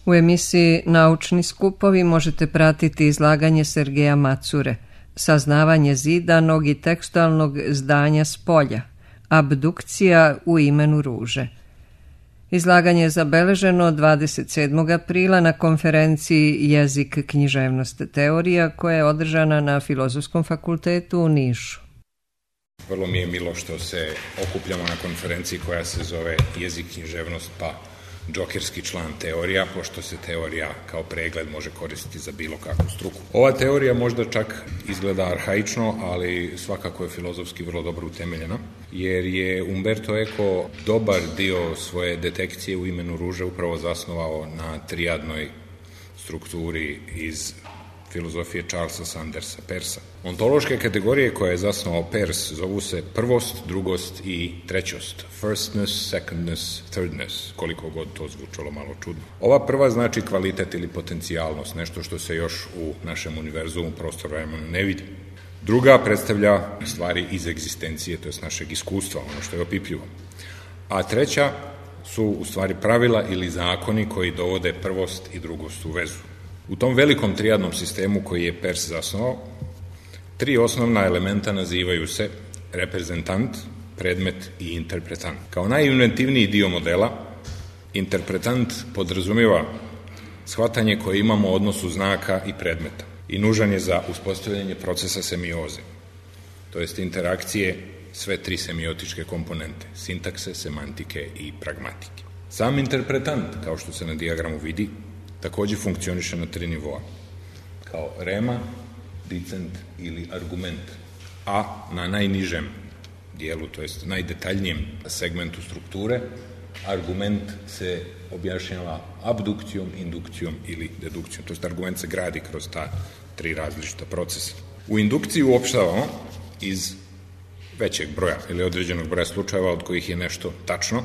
U emisiji Naučni skupovi možete pratiti izlaganje Sergeja Macure, saznavanje zidanog i tekstualnog zdanja s polja, abdukcija u imenu ruže. Izlaganje je zabeleženo 27. aprila na konferenciji Jezik, književnost, teorija koja je održana na Filozofskom fakultetu u Nišu. Vrlo mi je milo što se okupljamo na konferenciji koja se zove Jezik, književnost, pa džokerski član teorija, pošto se teorija kao pregled može koristiti za bilo kakvu struku. Ova teorija možda čak izgleda arhaično, ali svakako je filozofski vrlo dobro utemeljena, jer je Umberto Eco dobar dio svoje detekcije u imenu ruže upravo zasnovao na trijadnoj strukturi iz filozofije Charlesa Sandersa Peirsa. Ontološke kategorije koje je zasnovao Peirce zovu se prvost, drugost i trećost. Firstness, secondness, thirdness, koliko god to zvučalo malo čudno. Ova prva znači kvalitet ili potencijalnost, nešto što se još u našem univerzumu prostor-vremenu ne vidi. Druga predstavlja stvari iz egzistencije, to je našeg iskustva, ono što je opipljivo. A treća su u stvari pravila ili zakoni koji dovode prvost i drugost u vezu. U tom velikom trijadnom sistemu koji je Peirce zasnovao, tri osnovna elementa nazivaju se reprezentant, predmet i interpretant. Kao najinventivniji dio modela, interpretant podrazumijeva shvatanje koje imamo u odnosu znaka i predmeta i nužan je za uspostavljanje procesa semioze, to jest interakcije sve tri semiotičke komponente, sintakse, semantike i pragmatike. Sam interpretant, kao što se na dijagramu vidi, također funkcioniše na tri nivoa, kao rema, dicent ili argument, a na najnižem dijelu, to jest najdetaljnijem segmentu strukture, argument se objašnjava abdukcijom, indukcijom ili dedukcijom, to jest argument se gradi kroz ta tri različita procesa. U indukciji uopštavamo iz većeg broja ili određenog broja slučajeva od kojih je nešto tačno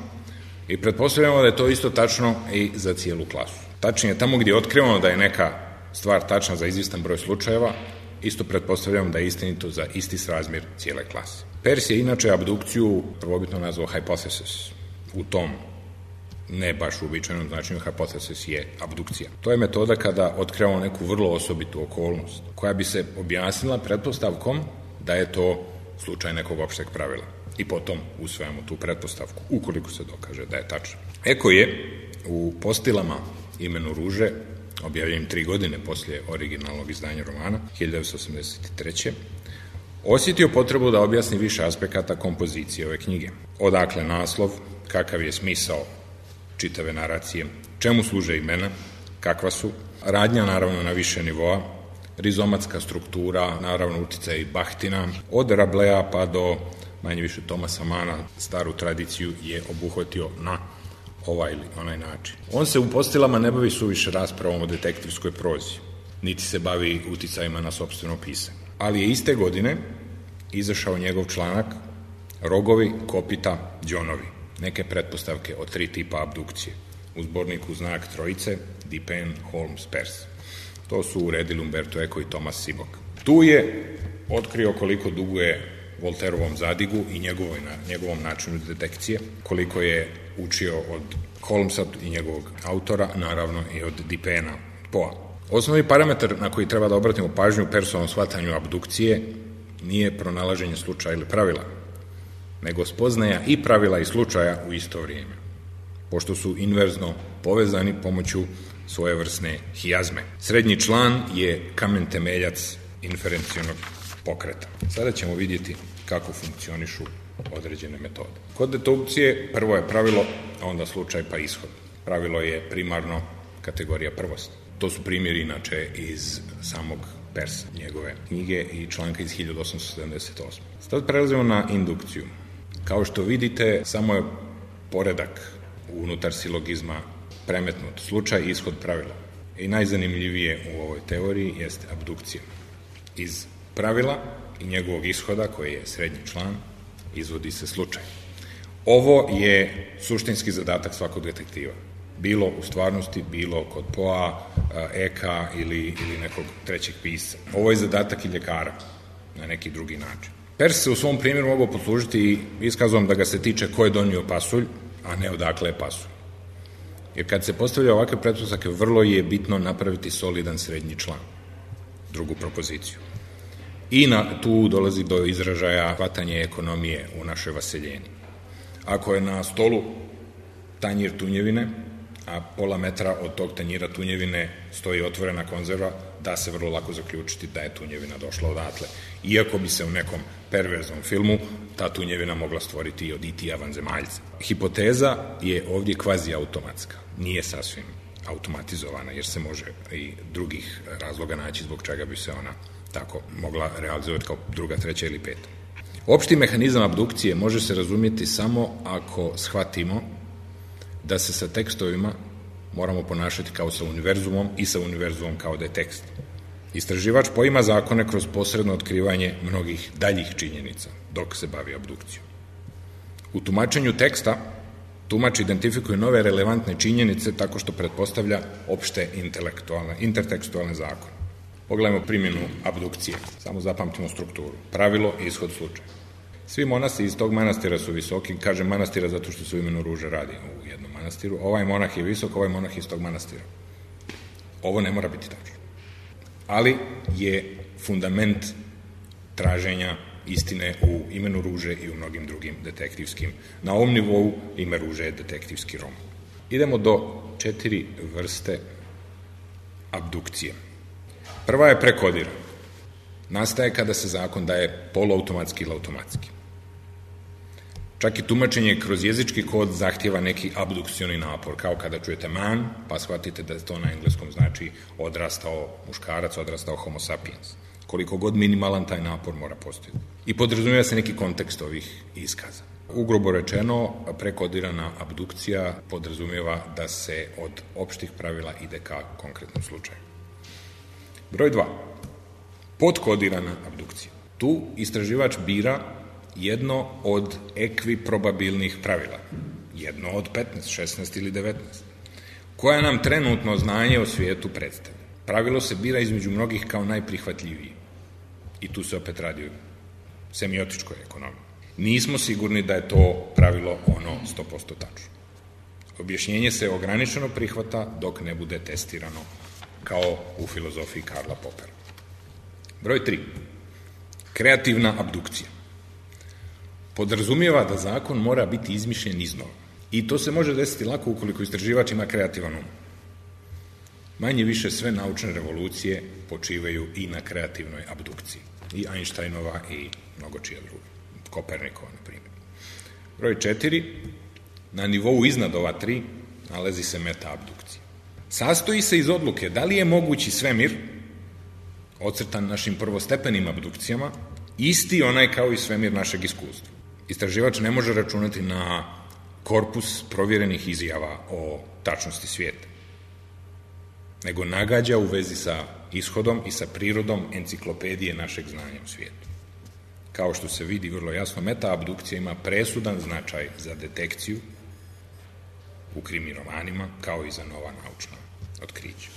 i pretpostavljamo da je to isto tačno i za cijelu klasu. Tačnije, tamo gdje otkrivamo da je neka stvar tačna za izvjestan broj slučajeva, isto pretpostavljamo da je istinito za isti srazmjer cijele klase. Peirce je inače abdukciju prvobitno nazvao hypothesis. U tom ne baš uobičajenom značenju hypothesis je abdukcija. To je metoda kada otkrivamo neku vrlo osobitu okolnost, koja bi se objasnila pretpostavkom da je to slučaj nekog opšteg pravila. I potom usvajamo tu pretpostavku, ukoliko se dokaže da je tačno. Eco je u Postilama imenu ruže, objavljenim 3 godine poslije originalnog izdanja romana, 1983. osjetio potrebu da objasni više aspekata kompozicije ove knjige. Odakle naslov, kakav je smisao čitave naracije, čemu služe imena, kakva su, radnja naravno na više nivoa, rizomatska struktura, naravno uticaj Bahtina, od Rablea pa do manje više Tomasa Mana, staru tradiciju je obuhvatio na ovaj ili onaj način. On se u Postilama ne bavi suviše raspravom o detektivskoj prozi, niti se bavi uticajima na sopstveno pisanje. Ali je iste godine izašao njegov članak Rogovi, kopita, đonovi, neke pretpostavke o 3 tipa abdukcije, u zborniku Znak trojice, Dupin, Holmes, Peirce. To su uredili Umberto Eco i Thomas Seaborg. Tu je otkrio koliko duguje Voltaireovom zadigu i njegovom načinu detekcije, koliko je učio od Holmesa i njegovog autora, naravno i od Dupina, Poa. Osnovni parametar na koji treba da obratimo pažnju u Peirceovom shvatanju abdukcije nije pronalaženje slučaja ili pravila, nego spoznaja i pravila i slučaja u isto vrijeme, pošto su inverzno povezani pomoću svojevrsne hijazme. Srednji član je kamen temeljac inferencionog pokreta. Sada ćemo vidjeti kako funkcionišu određene metode. Kod dedukcije prvo je pravilo, a onda slučaj pa ishod. Pravilo je primarno kategorija prvosti. To su primjeri inače iz samog Peirce, njegove knjige i članka iz 1878. Sad prelazimo na indukciju. Kao što vidite, samo je poredak unutar silogizma premetnut, slučaj i ishod pravila. I najzanimljivije u ovoj teoriji jeste abdukcija. Iz pravila i njegovog ishoda, koji je srednji član, izvodi se slučaj. Ovo je suštinski zadatak svakog detektiva. Bilo u stvarnosti, bilo kod Poa, Eka ili nekog trećeg pisca. Ovo je zadatak i ljekara na neki drugi način. Peirce se u svom primjeru mogao poslužiti iskazom da ga se tiče ko je donio pasulj, a ne odakle je pasulj. Jer kad se postavlja ovakve pretpostavke, vrlo je bitno napraviti solidan srednji član, drugu propoziciju. I tu dolazi do izražaja hvatanje ekonomije u našoj vaseljeni. Ako je na stolu tanjir tunjevine, a pola metra od tog tanjira tunjevine stoji otvorena konzerva, da se vrlo lako zaključiti da je tunjevina došla odatle. Iako bi se u nekom perverznom filmu ta tunjevina mogla stvoriti i od IT-a vanzemaljca. Hipoteza je ovdje kvazi automatska, nije sasvim automatizovana, jer se može i drugih razloga naći zbog čega bi se ona tako mogla realizovati kao druga, treća ili peta. Opšti mehanizam abdukcije može se razumjeti samo ako shvatimo da se sa tekstovima moramo ponašati kao sa univerzumom i sa univerzumom kao da je tekst. Istraživač poima zakone kroz posredno otkrivanje mnogih daljih činjenica dok se bavi abdukcijom. U tumačenju teksta tumač identifikuje nove relevantne činjenice tako što pretpostavlja opšte intertekstualne zakone. Pogledajmo primjenu abdukcije, samo zapamtimo strukturu. Pravilo i ishod slučaja. Svi monasi iz tog manastira su visoki, kažem manastira zato što se u imenu ruže radi u jednom manastiru. Ovaj monah je visok, ovaj monah iz tog manastira. Ovo ne mora biti tačno. Ali je fundament traženja istine u imenu ruže i u mnogim drugim detektivskim. Na ovom nivou ime ruže je detektivski roman. Idemo do 4 vrste abdukcije. Prva je prekodirana. Nastaje kada se zakon daje poluautomatski ili automatski. Čak i tumačenje kroz jezički kod zahtjeva neki abdukcioni napor, kao kada čujete man, pa shvatite da to na engleskom znači odrastao muškarac, odrastao homo sapiens. Koliko god minimalan taj napor mora postojati. I podrazumijeva se neki kontekst ovih iskaza. Ugrubo rečeno, prekodirana abdukcija podrazumijeva da se od opštih pravila ide ka konkretnom slučaju. Broj 2. Podkodirana abdukcija. Tu istraživač bira jedno od ekviprobabilnih pravila. Jedno od 15, 16 ili 19. Koja nam trenutno znanje o svijetu predstavlja. Pravilo se bira između mnogih kao najprihvatljiviji. I tu se opet radi o semiotičkoj ekonomiji. Nismo sigurni da je to pravilo ono 100% tačno. Objašnjenje se ograničeno prihvata dok ne bude testirano, kao u filozofiji Karla Popera. Broj 3. Kreativna abdukcija. Podrazumijeva da zakon mora biti izmišljen iznova. I to se može desiti lako ukoliko istraživač ima kreativan um. Manje više sve naučne revolucije počivaju i na kreativnoj abdukciji. I Einsteinova i mnogo čija druga. Kopernikova, na primjer. Broj 4. Na nivou iznad ova 3 nalazi se meta-abdukcija. Sastoji se iz odluke da li je mogući svemir, ocrtan našim prvostepenim abdukcijama, isti onaj kao i svemir našeg iskustva. Istraživač ne može računati na korpus provjerenih izjava o tačnosti svijeta, nego nagađa u vezi sa ishodom i sa prirodom enciklopedije našeg znanja o svijetu. Kao što se vidi vrlo jasno, meta-abdukcija ima presudan značaj za detekciju u krimi romanima, kao i za nova naučna otkrića.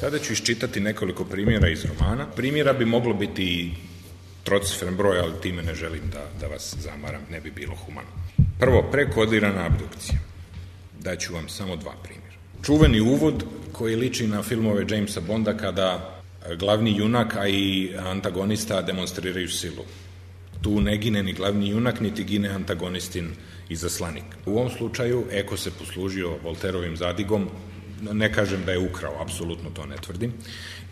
Sada ću iščitati nekoliko primjera iz romana. Primjera bi moglo biti i trocifren broj, ali time ne želim da vas zamaram, ne bi bilo humano. Prvo, prekodirana abdukcija. Daću vam samo 2 primjera. Čuveni uvod koji liči na filmove Jamesa Bonda kada glavni junak, a i antagonista demonstriraju silu. Tu ne gine ni glavni junak, niti gine antagonistin izaslanik. U ovom slučaju Eko se poslužio Volterovim zadigom, ne kažem da je ukrao, apsolutno to ne tvrdim,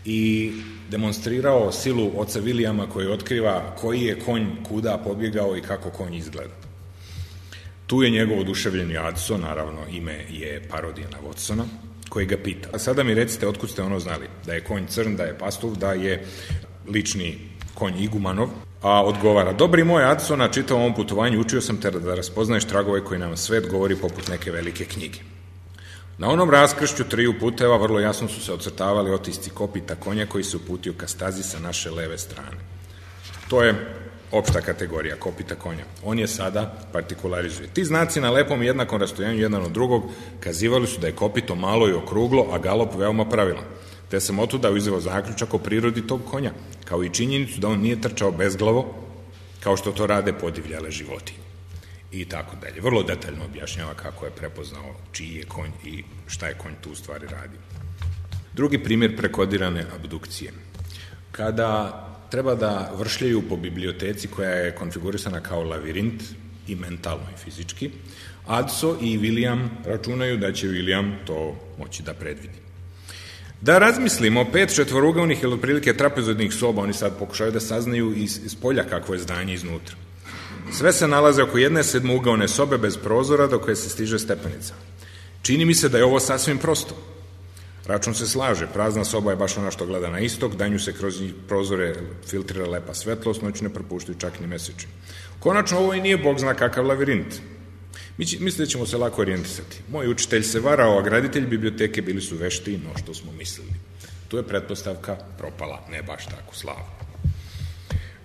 i demonstrirao silu oca Vilijama koji otkriva koji je konj kuda pobjegao i kako konj izgleda. Tu je njegov oduševljeni Adso, naravno ime je parodija na Watsona, koji ga pita. A sada mi recite otkud ste ono znali, da je konj crn, da je pastuv, da je lični konj Igumanov, a odgovara, dobri moj Adso, na čitavom ovom putovanju učio sam te da raspoznaješ tragove koji nam svet govori poput neke velike knjige. Na onom raskršću 3 puteva vrlo jasno su se ocrtavali otisci kopita konja koji se uputio ka stazi sa naše leve strane. To je opšta kategorija kopita konja. On je sada partikularizuje. Ti znaci na lepom i jednakom rastojanju jedan od drugog kazivali su da je kopito malo i okruglo, a galop veoma pravilan. Te sam otuda uzeo zaključak o prirodi tog konja, kao i činjenicu da on nije trčao bezglavo, kao što to rade podivljale životinje. i tako dalje. Vrlo detaljno objašnjava kako je prepoznao čiji je konj i šta je konj tu u stvari radi. Drugi primjer prekodirane abdukcije. Kada treba da vršljaju po biblioteci koja je konfigurisana kao lavirint i mentalno i fizički, Adso i William računaju da će William to moći da predvidi. Da razmislimo, 5 četvorugavnih ili otprilike trapezoidnih soba, oni sad pokušaju da saznaju iz polja kakvo je zdanje iznutra. Sve se nalaze oko jedne sedmougaone sobe bez prozora do koje se stiže stepenica. Čini mi se da je ovo sasvim prosto. Račun se slaže, prazna soba je baš ona što gleda na istok, danju se kroz prozore filtrira lepa svetlost, noću ne propuštaju čak ni mesečin. Konačno, ovo i nije bog zna kakav lavirint. Mislim da ćemo se lako orijentisati. Moj učitelj se varao, a graditelji biblioteke bili su veštiji no što smo mislili. Tu je pretpostavka propala, ne baš tako slavno.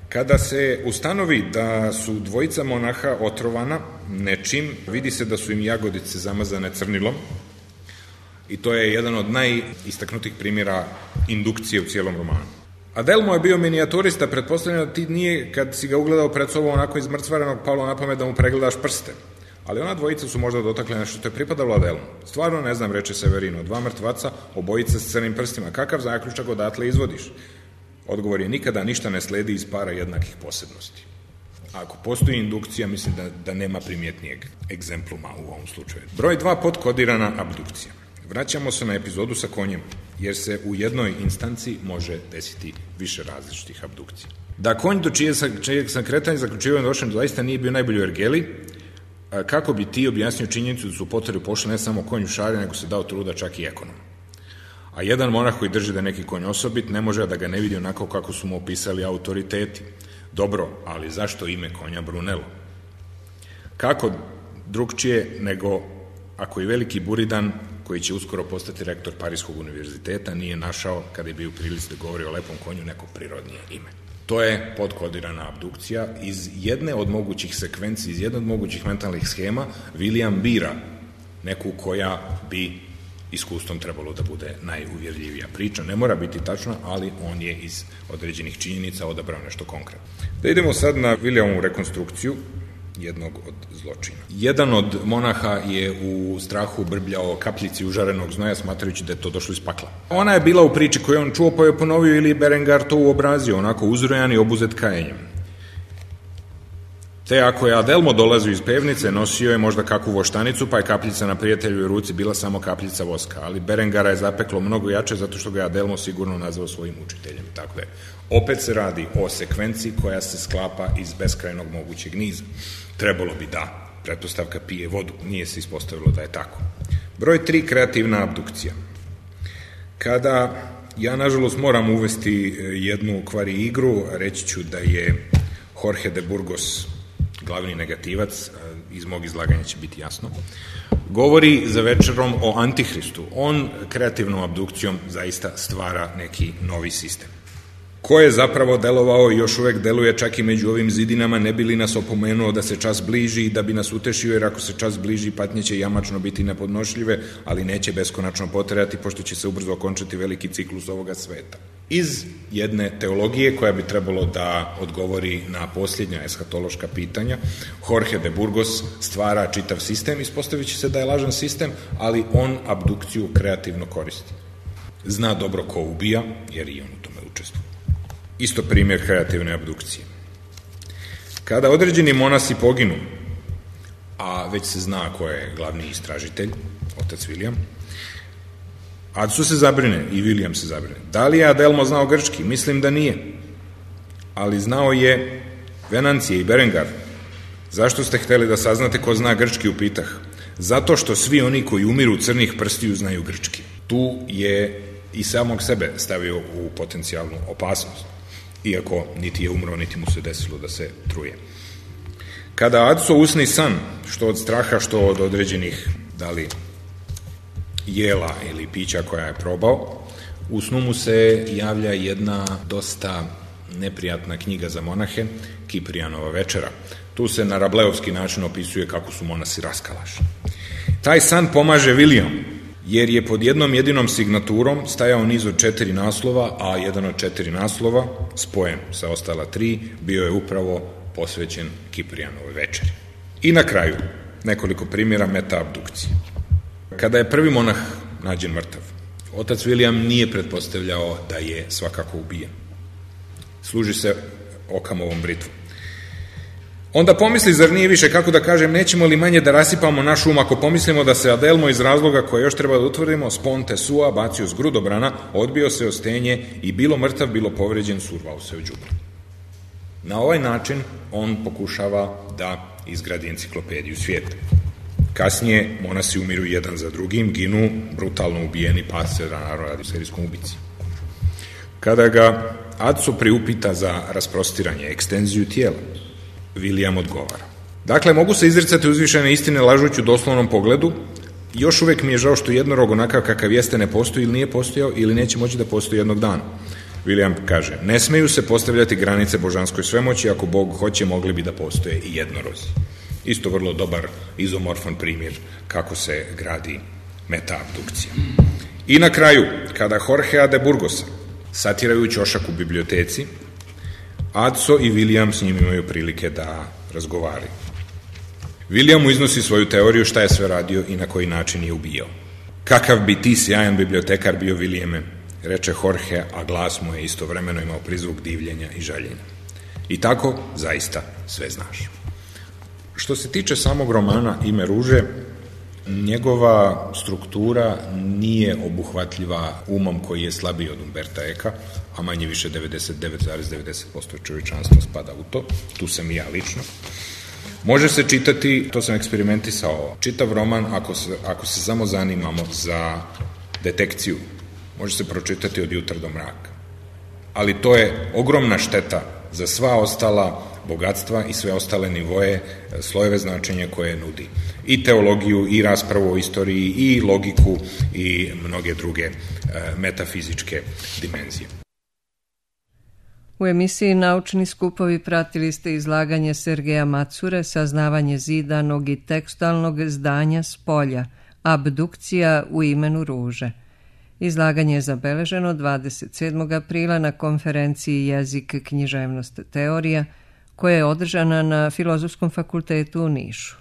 Kada se ustanovi da su dvojica monaha otrovana nečim, vidi se da su im jagodice zamazane crnilom i to je jedan od najistaknutih primjera indukcije u cijelom romanu. Adelmo je bio minijaturista, pretpostavljeno da ti nije, kad si ga ugledao pred sobom onako izmrcvarenog, palo na pamet da mu pregledaš prste. Ali ona dvojica su možda dotakle nešto što je pripadalo Adelmo. Stvarno ne znam, reče Severino, 2 mrtvaca, obojica s crnim prstima. Kakav zaključak odatle izvodiš? Odgovor je nikada ništa ne sledi iz para jednakih posebnosti. Ako postoji indukcija, mislim da nema primjetnijeg egzempluma u ovom slučaju. Broj 2, podkodirana abdukcija. Vraćamo se na epizodu sa konjem, jer se u jednoj instanci može desiti više različitih abdukcija. Da konj do čijeg sam kretanja zaključivanja došao zaista nije bio najbolji u ergeli, kako bi ti objasnio činjenicu da su u poteru pošli ne samo konj u šari, nego se dao truda čak i ekonom. A jedan monah koji drži da je neki konj osobit ne može da ga ne vidi onako kako su mu opisali autoriteti. Dobro, ali zašto ime konja Brunello? Kako drugčije nego ako i veliki Buridan, koji će uskoro postati rektor Parijskog univerziteta, nije našao, kada je bio u prilici da govori o lepom konju, neko prirodnije ime. To je podkodirana abdukcija. Iz jedne od mogućih sekvenci, iz jedne od mogućih mentalnih schema, William bira neku koja bi iskustvom trebalo da bude najuvjerljivija priča. Ne mora biti tačna, ali on je iz određenih činjenica odabrao nešto konkretno. Da idemo sad na Williamovu rekonstrukciju jednog od zločina. Jedan od monaha je u strahu brbljao kapljici užarenog znoja, smatrajući da je to došlo iz pakla. Ona je bila u priči koju on čuo, pa je ponovio ili Berengar to uobrazio, onako uzrojan i obuzet kajenjem. Te ako je Adelmo dolazio iz pevnice, nosio je možda kakvu voštanicu, pa je kapljica na prijateljevoj ruci bila samo kapljica voska, ali Berengara je zapeklo mnogo jače zato što ga je Adelmo sigurno nazvao svojim učiteljem. Tako da je. Opet se radi o sekvenciji koja se sklapa iz beskrajnog mogućeg niza. Trebalo bi da pretpostavka pije vodu, nije se ispostavilo da je tako. Broj 3, kreativna abdukcija. Kada ja, nažalost, moram uvesti jednu kvari igru, reći ću da je Jorge de Burgos glavni negativac, iz mog izlaganja će biti jasno, govori za večerom o Antihristu. On kreativnom abdukcijom zaista stvara neki novi sistem. Ko je zapravo delovao i još uvek deluje čak i među ovim zidinama, ne bi li nas opomenuo da se čas bliži i da bi nas utešio, jer ako se čas bliži, patnje će jamačno biti nepodnošljive, ali neće beskonačno potrajati, pošto će se ubrzo okončati veliki ciklus ovoga sveta. Iz jedne teologije koja bi trebalo da odgovori na posljednja eshatološka pitanja, Jorge de Burgos stvara čitav sistem, ispostavit će se da je lažan sistem, ali on abdukciju kreativno koristi. Zna dobro ko ubija, jer i on u tome učestvuje. Isto primjer kreativne abdukcije. Kada određeni monasi poginu, a već se zna ko je glavni istražitelj, otac William, Adso se zabrine i William se zabrine. Da li je Adelmo znao grčki? Mislim da nije. Ali znao je Venancije i Berengar. Zašto ste hteli da saznate ko zna grčki, upitah? Zato što svi oni koji umiru crnih prstiju znaju grčki. Tu je i samog sebe stavio u potencijalnu opasnost, iako niti je umro, niti mu se desilo da se truje. Kada Adso usni san, što od straha, što od određenih, da li jela ili pića koja je probao, u snu mu se javlja jedna dosta neprijatna knjiga za monahe, Kiprijanova večera. Tu se na rableovski način opisuje kako su monasi raskalašni. Taj san pomaže William, jer je pod jednom jedinom signaturom stajao niz od 4 naslova, a jedan od 4 naslova, spojen sa ostala 3, bio je upravo posvećen Kiprijanovoj večeri. I na kraju, nekoliko primjera metaabdukcije. Kada je prvi monah nađen mrtav, otac William nije pretpostavljao da je svakako ubijen. Služi se Okamovom britvom. Onda pomisli, zar nije više, kako da kažem, nećemo li manje da rasipamo naš um ako pomislimo da se Adelmo iz razloga koje još treba da utvrdimo, Sponte Sua bacio s grudobrana, odbio se o stenje i bilo mrtav, bilo povređen, survao se u đubre. Na ovaj način on pokušava da izgradi enciklopediju svijeta. Kasnije monasi umiru jedan za drugim, ginu brutalno ubijeni, pa se naravno radi o serijskom ubici. Kada ga Atso priupita za rasprostiranje, ekstenziju tijela, William odgovara: dakle, mogu se izricati uzvišene istine lažući u doslovnom pogledu, još uvek mi je žao što jednorog onakav kakav jeste ne postoji ili nije postojao ili neće moći da postoji jednog dana. William kaže: ne smeju se postavljati granice božanskoj svemoći, ako Bog hoće mogli bi da postoje i jednorozi. Isto vrlo dobar izomorfan primjer kako se gradi metaabdukcija. I na kraju, kada Jorgea de Burgosa satiraju ćošak u biblioteci, Atso i William s njim imaju prilike da razgovaraju. William mu iznosi svoju teoriju šta je sve radio i na koji način je ubijao. Kakav bi ti sjajan bibliotekar bio, Williame, reče Jorge, a glas mu je istovremeno imao prizvuk divljenja i žaljenja. I tako, zaista, sve znaš. Što se tiče samog romana Ime ruže, njegova struktura nije obuhvatljiva umom koji je slabiji od Umberta Eka, a manje više 99,90% čovječanstva spada u to, tu sam i ja lično. Može se čitati, to sam eksperimentisao, čitav roman ako se samo zanimamo za detekciju, može se pročitati od jutra do mraka. Ali to je ogromna šteta za sva ostala bogatstva i sve ostale nivoje, slojeve značenja koje nudi. I teologiju, i raspravu o istoriji, i logiku, i mnoge druge metafizičke dimenzije. U emisiji Naučni skupovi pratili ste izlaganje Sergeja Macure, Saznavanje zidanog i tekstualnog zdanja s polja, Abdukcija u imenu ruže. Izlaganje je zabeleženo 27. aprila na konferenciji Jezik, književnost, teorija, koja je održana na Filozofskom fakultetu u Nišu.